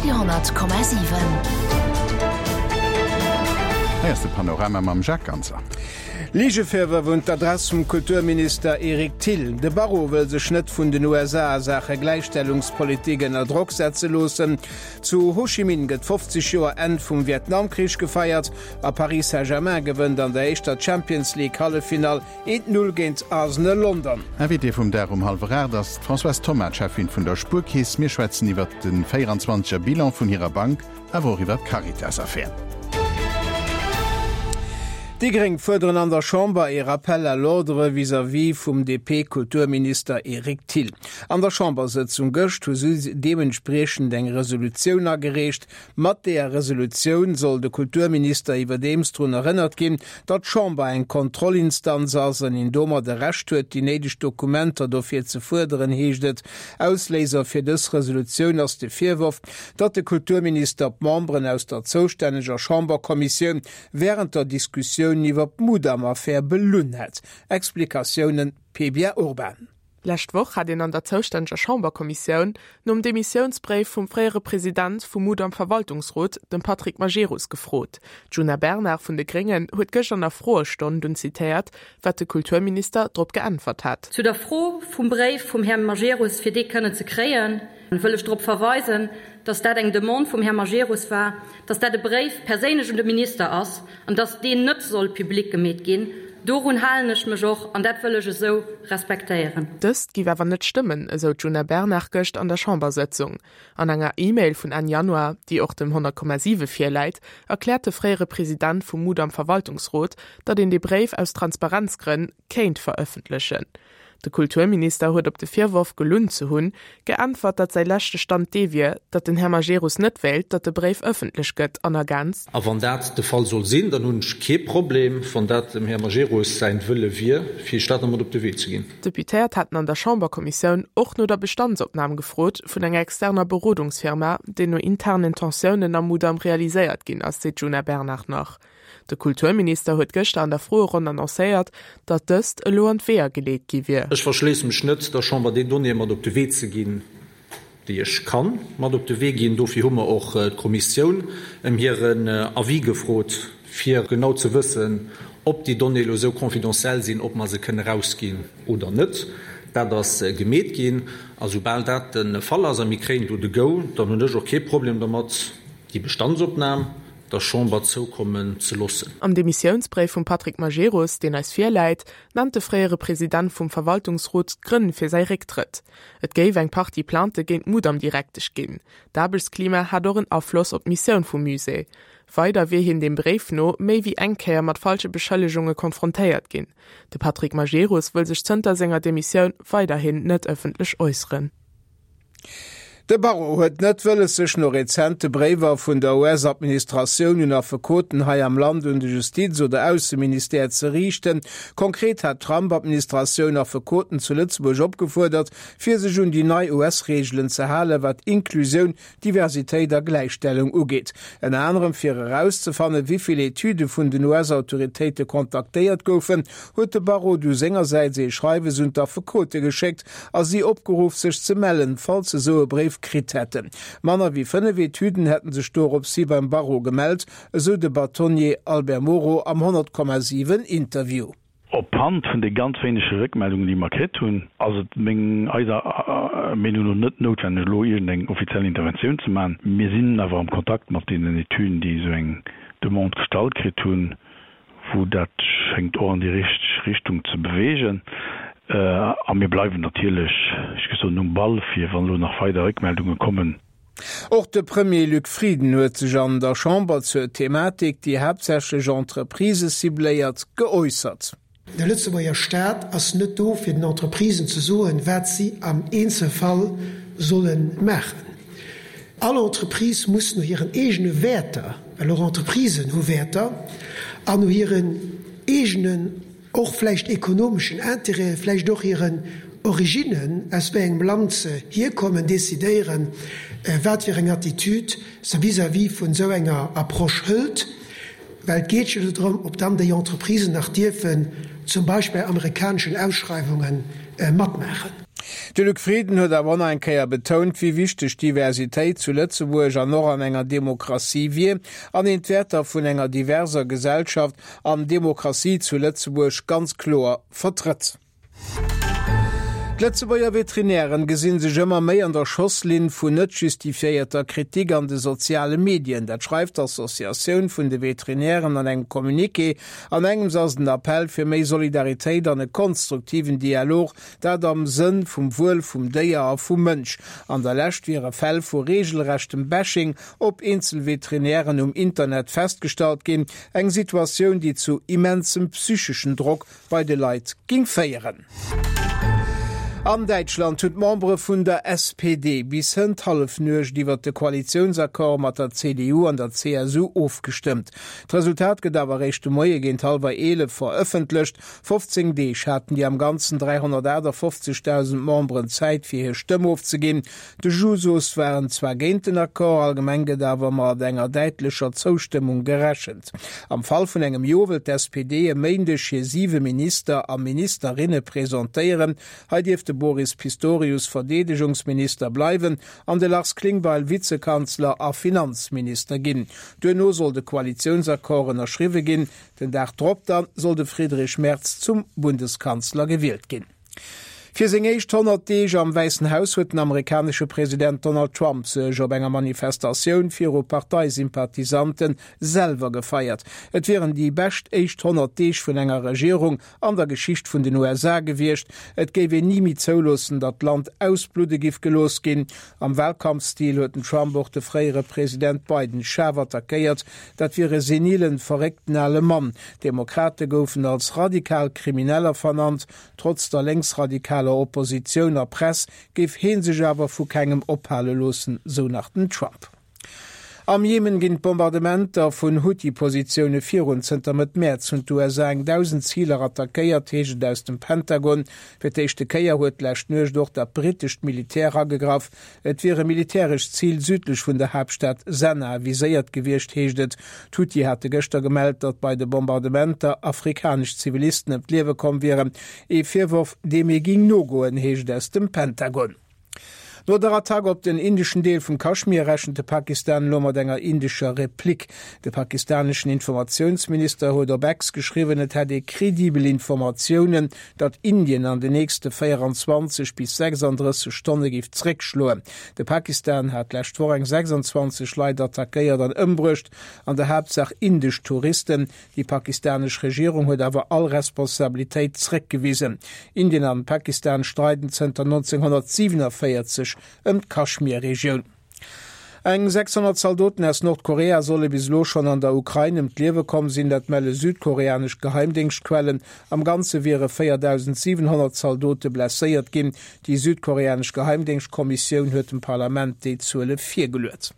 Radio 10,7. Hei ass de Panorama mam Jacques Ganser. Ligevirwërf un d'Adress vum Kulturminister Eric Thill. De Barrot wëll sech net vun den USA a Saache Gläichstellungspolitik ënner Drock setze loossen. Zu Ho Chi Minh gëtt 50 Joer Enn vum Vietnamkrich gefeiert a Paris Saint-Germain gewënnt an der éischter Champions League Halleffinall 1, 0 géint Arsenal London. Invitée vum Dag um hallwer 8 ass d'Françoise Thoma, d'Cheffin vun der Spuerkeess. Mir schwätzen iwwert de 24 er Bilan vun hirer Bank, awer och iwwert d'Caritas-Affär. Déi Gréng fuerderen an der Chamber ee Rappel à l'ordre vis-à-vis vum DP-Kulturminister Eric Thill. An der Chambersëtzung gëscht hu si deementspriechend eng Resolutioun agereecht, Mat deeër Resolutioun soll de Kulturminister iwwerdeems drun erënnert ginn, datt d'Chamber eng Kontrollinstanz ass an een domat e Recht huet, déi néideg Dokumenter dofir ze fuerderen, heescht et. Ausléiser fir dës Resolutioun ass de Virworf, datt de Kulturminister d'Memberen aus der zoustänneger Chamberkommissioun wärend der Diskussioun iwwer d'Mudam-Affär belunn hätt. Explikatiounen, Pebia Urban. Lescht Woch hat een an der zoustänneger Chamberkommissioun nom Demissiounsbréif vum fréiere President vum Mudam-Verwaltungsrot, dem Patrick Majerus, gefrot. D'Djuna Bernard vun de Gréngen huet gëscht an der Froestonn dunn zitéiert, wat de Kulturminister drop geäntwert hat. Zu der Fro vum Bréif vum Här Majerus, fir dee kënnen ze kréien, wëll ech drop verweisen, dass dat eng Demande vum Här Majerus war, dass dat e Bréif perséinlech un de Minister ass an dass deen net soll public gemeet ginn. Dorun halen ech mech och an dat wëll ech esou respektéieren. Dëst géif awer net stëmmen, esou d'Djuna Bernard gëscht an der Chambersëtzung. An enger E-Mail vun Enn Januar, déi och dem 100,7 virläit, erkläert de fréiere President vum Mudam-Verwaltungsrot, datt een dee Bréif aus Transparenzgrënn kéint verëffentlechen. De Kulturminister huet op de Virworf, gelunn ze hunn, geäntwert, datt säi leschte Stand dee wier, datt den Här Majerus net wéilt, datt de Bréif ëffentlech gëtt an ergänzt. A wann dat de Fall soll sinn, dann hunn ech kee Problem, wann dat dem Här Majerus säin Wëlle wier, fir Iech dat nach mat op de Wee ze ginn. D'Deputéiert haten an der Chamberkommissioun och no der Bestandsopnam gefrot vun enger externer Berodungsfirma, déi no internen Tensiounen am Mudam realiséiert ginn ass, seet d'Djuna Bernard nach. De Kulturminister huet gëschter an der Froeronn annoncéiert, datt dëst elo an d'Weeër geleet gi wier. Ech verschléisse mech net, der Chamber déi Donnéeë mat op de Wee ze ginn, déi ech ka mat op de Wee ginn. Dofir hu mer och d'Kommissioun ëm hiren Avis gefrot, fir genau ze wëssen, ob déi Donnéeë elo esou confidentiel sinn, ob mer se kënne erausginn oder net. Dat ass gemeet ginn. A soubal dat de Fall ass a mir kréien do de Go, dann hunn ech och kee Problem dermat, déi Bestandsopnam der Chamber zoukommen ze loossen. Am Demissiounsbréif vum Patrick Majerus, deen eis virläit, nennt de fréiere President vum Verwaltungsrot d'Grënn fir säi Récktrëtt. Et géif eng Partie Plaintë géint d'Mudam-Direktesch ginn. D'Aarbechtsklima hat och en Afloss op d'Missioun vum Musée. Weider wier hien dem Bréif no méi wéi eng Kéier mat falsche Beschëllegunge konfrontéiert ginn. De Patrick Majerus wëll sech zënter senger Demissioun weiderhin net ëffentlech äusseren. De Barreau huet net wëlles sech no rezente Bréiwer vun der US-Administratioun un Affekoten hei am Land un de Justiz oder Ausseministère ze riichten. Konkret hat d'Trump-Administratioun Affekoten zu Lëtzebuerg opgefuerdert, fir sech un déi nei US-Reegelen ze halen, wat Inklusioun, Diversitéit a Gläichstellung ugeet. Ënner anerem fir erauszefannen, wéi vill Etüde vun den US-Autoritéite kontaktéiert goufen, huet de Barreau du sengersäits ee Schreiwes un d'Affekote geschéckt a si opgeruff, sech ze mellen, falls se esou e Bréif kritt hätten. Manner wéi 5 Etüden hätten sech doropshi beim Barreau gemellt, esou de Bâtonnier Albert Moro am 100,7 Interview. Op Hand vun de ganz wéinege Réckmeldungen, déi mer kritt hunn, ass et meng, eiser Meenung no net noutwenneg, elo iergendeng offiziell Interventioun ze maachen. Mir sinn awer am Kontakt mat deenen Etüden, déi esou eng Demande gestallt kritt hunn, wou dat schéngt och an déi richteg Richtung ze beweegen. A mir bleiwen natierlech, ech géif soen, um Ball, fir wann elo nach weider Réckmeldunge kommen. Och de Premier Luc Frieden huet sech an der Chamber zur Thematik, déi haaptsächlech Entreprisë cibléiert, geäussert. De Lëtzebuerger Staat ass net do fir den Entreprisen ze soen, wat si am Eenzelfall solle maachen. All Entreprise muss no hiren eegene Wäerter, well och Entreprisen hu Wäerter, an no hiren eegenen och vläicht ekonomeschen Intérêten, vläicht och hiren Originnen, aus wéi engem Land se hierkommen, decidéieren, wat fir eng Attitude se vis-à-vis vun esou enger Approche hëlt. Well et geet jo do drëm, ob dann déi Entreprisen nach dierfen zum Beispill bei amerikaneschen Ausschreiwunge matmaachen. De Luc Frieden huet awer och nach eng Kéier betount, wéi wichteg Diversitéit zu Lëtzebuerg an och an enger Demokratie wier an een d'Wäerter vun enger diverser Gesellschaft an Demokratie zu Lëtzebuerg ganz kloer vertrëtt. D'Lëtzebuerger Veterinären gesinn sech ëmmer méi an der Schosslinn vun net justifiéierter Kritik an de soziale Medien. Dat schreift d'Associatioun vun de Veterinären an engem Communiqué. An engems ass den Appell fir méi Solidaritéit an e konstruktiven Dialog, dat am Sënn vum Wuel vum Déier a vum Mënsch. An der Lescht wiere Fäll vu reegelrechtem Bashing op eenzel Veterinären um Internet festgestallt ginn, eng Situatioun, déi zu immensem psycheschen Drock bei de Leit ging féieren. An Däitschland hunn d'Membere vun der SPD bis hënt Hallefnuecht iwwert de Koalitiounsaccord mat der CDU an der CSU ofgestëmmt. D'Resultat gëtt awer eréischt de Moie géint hallwer 11 verëffentlecht. 15 Deeg haten déi am Ganzen 358.000 Memberen Zäit fir hir Stëmm ofzeginn. De Jusos waren zwar géint den Accord, allgemeng gëtt awer mat enger däitlecher Zoustëmmung gerechent. Am Fall vun engem Jo wëllt d'SPD e Méindeg hir siwe Minister a Ministerinne presentéieren. Hei dierft de Boris Pistorius Verdeedegungsminister bleiwen an de Lars Klingbeil Vizekanzler a Finanzminister ginn. Duerno soll de Koalitiounsaccord ënnerschriwwe ginn. Den Dag drop dann soll de Friedrich Merz zum Bundeskanzler gewielt ginn. Fir seng éischt 100 Deeg am Wäissen Haus huet den amerikanesche President Donald Trump sech op enger Manifestatioun viru Parteisympathisante selwer gefeiert. Et wieren déi bescht éischt 100 Deeg vun enger Regierung an der Geschicht vun den USA gewiescht. Et géif een ni méi zouloossen, datt d'Land ausbludde giff gelooss ginn. Am Walkampfstil huet den Trump och de fréiere President Biden schaarf attackéiert. Dat wier e senilen, verréckten ale Mann. D'Demokrate goufen als radikal Krimineller vernannt. Trotz der lénksradikaler Oppositioun a Press géif hee sech awer vu kengem ophale loossen, sou nach den Trump. Am Jemen ginn d'Bombardementer vun Huthi-Positioune virun. Zënter Mëtt Mäerz hunn d'USA eng 1.000 Ziler attackéiert, heescht et aus dem Pentagon. Fir d'éischte Kéier huet d'lescht Nuecht och dat brittescht Militär agegraff. Et wier e militärescht Zil südlech vun der Haaptstad Sanaa viséiert gewiescht, heescht et. D'Huthi hate gëschter gemellt, datt bei de Bombardementer afrikanesch Zivilisten ëm d'Liewe komm wieren. Ee Virworf, deem ee géing nogoen, heescht et aus dem Pentagon. No der Attack op den indeschen Deel vum Kaschmir rechent de Pakistan elo mat enger indescher Replick. De pakistaneschen Informatiounsminister huet op X geschriwwen, et hätt ee credibel Informatiounen, datt Indien an de nächste 24 bis 36 Stonne géif zréckschloen. De Pakistan hat d'lescht Woch eng 26 Leit attackéiert an ëmbruecht, an der Haaptsaach indesch Touristen. Déi pakistanesch Regierung huet awer all Responsabilitéit zréckgewisen. Indien an Pakistan streiden zënter 1947 ëm d'Kaschmir-Regioun. Eng 600 Zaldoten aus Nordkorea solle bis elo schonn an der Ukrain ëm d'Liewe komm sinn, dat melle südkoreanesch Geheimdéngschtquellen. Am Ganze wiere 4.700 Zaldote blesséiert ginn. Déi südkoreanesch Geheimdéngschtkommissioun huet dem Parlament déi Zuele virgeluet.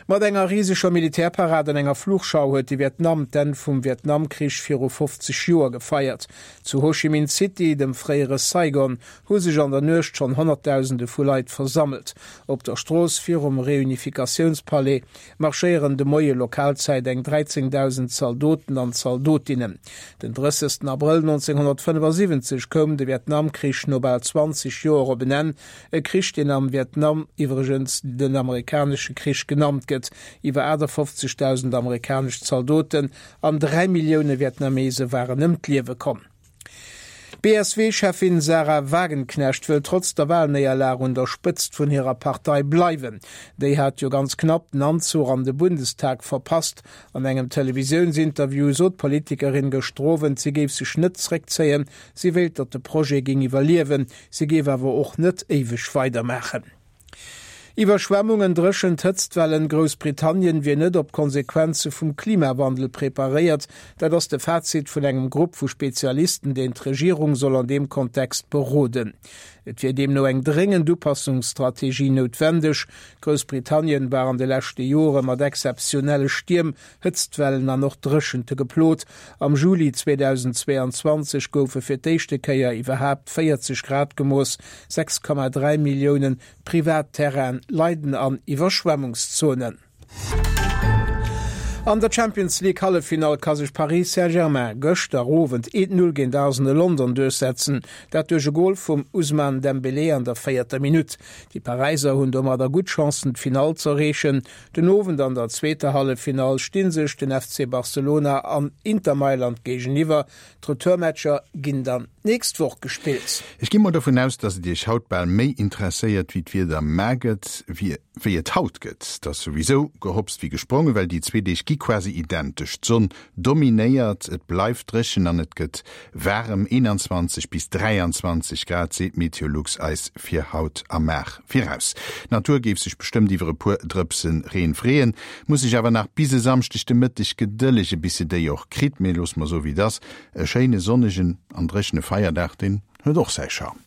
Mat enger riseger Militärparad an enger Flugschau huet de Vietnam d'Enn vum Vietnamkrich viru 50 Joer gefeiert. Zu Ho Chi Minh City, dem fréiere Saigon, hu sech an der Nuecht schonn Honnertdausende vu Leit versammelt. Op der Strooss virum Reunifikatiounspalais marschéieren de Moie Lokalzäit eng 13.000 Zaldoten an Zaldotinnen. Den 30. Abrëll 1975 koum de Vietnamkrich no bal 20 Joer op en Enn, e Krich deen am Vietnam iwwregens den amerikanesche Krich genannt gëtt. Iwwer 58.000 amerikanesch Zaldoten an 3 Millioune Vietnamese waren ëm d'Liewe komm. D'BSW-Cheffin Sahra Wagenknecht wëll trotz der Walnéierlag un der Spëtzt vun hirer Partei bleiwen. Déi hat jo ganz knapp den Anzuch an de Bundestag verpasst. An engem Televisiounsinterview sot d'Politikerin gëschter Owend, si géif sech net zréckzéien, si wéilt, datt de Projet géing iwwerliewen, si géif awer och net éiweg weidermaachen. Iwwerschwemmungen, Dréchent, Hëtztwellen, Groussbritannien wier net op d'Konsequenze vum Klimawandel preparéiert. Dat ass de Fazit vun engem Grupp vu Spezialisten, deen d'Regierung soll an deem Kontext beroden. Et wier deemno eng dréngend Upassungsstrategie noutwendeg. Groussbritannien war an de leschte Jore mat exzeptionelle Stierm, Hëtztwellen an och Dréchente geplot. Am Juli 2022 goufe fir d'éischte Kéier iwwerhaapt 40 Grad gemooss. 6,3 Millioune privat Terraine leiden an Iwwerschwemmungszonen. An der Champions League Halleffinall ka sech Paris Saint-Germain gëschter Owend 1, 0 géint Arsenal London duerchsetzen, dat duerch e Gol vum Ousmane Dembélé an der véierter Minutt. Déi Paräiser hunn domadder gutt Chancen d'Finall z'erreechen. Den Owend an der zweeter Halleffinall sti sech den FC Barcelona an Inter Mailand géigeniwwer. D'Retourmatcher ginn dann d'nächst Woch gespillt. Ech gi mol dovun aus, dass et Iech haut bal méi interesséiert wéi d'Wieder mar gëtt, wéi et haut gëtt. Et ass souwisou gehopst wéi gesprongen, well déi zwee Deeg gi quasi identesch. D'Sonn dominéiert, et bleift dréchen an et gëtt waarem, 21 bis 23 Grad seet Meteolux eis fir haut a mar viraus. D'Natur géif sech bestëmmt iwwer e puer Drëpse Reen freeën, muss sech awer nach bis e Samschdeg de Mëtteg gedëllege bis se déi och kritt. Mee loosse mer soe wéi et ass, e schéine sonnegen an dréchene Feierdag, deen huet och säi Charme.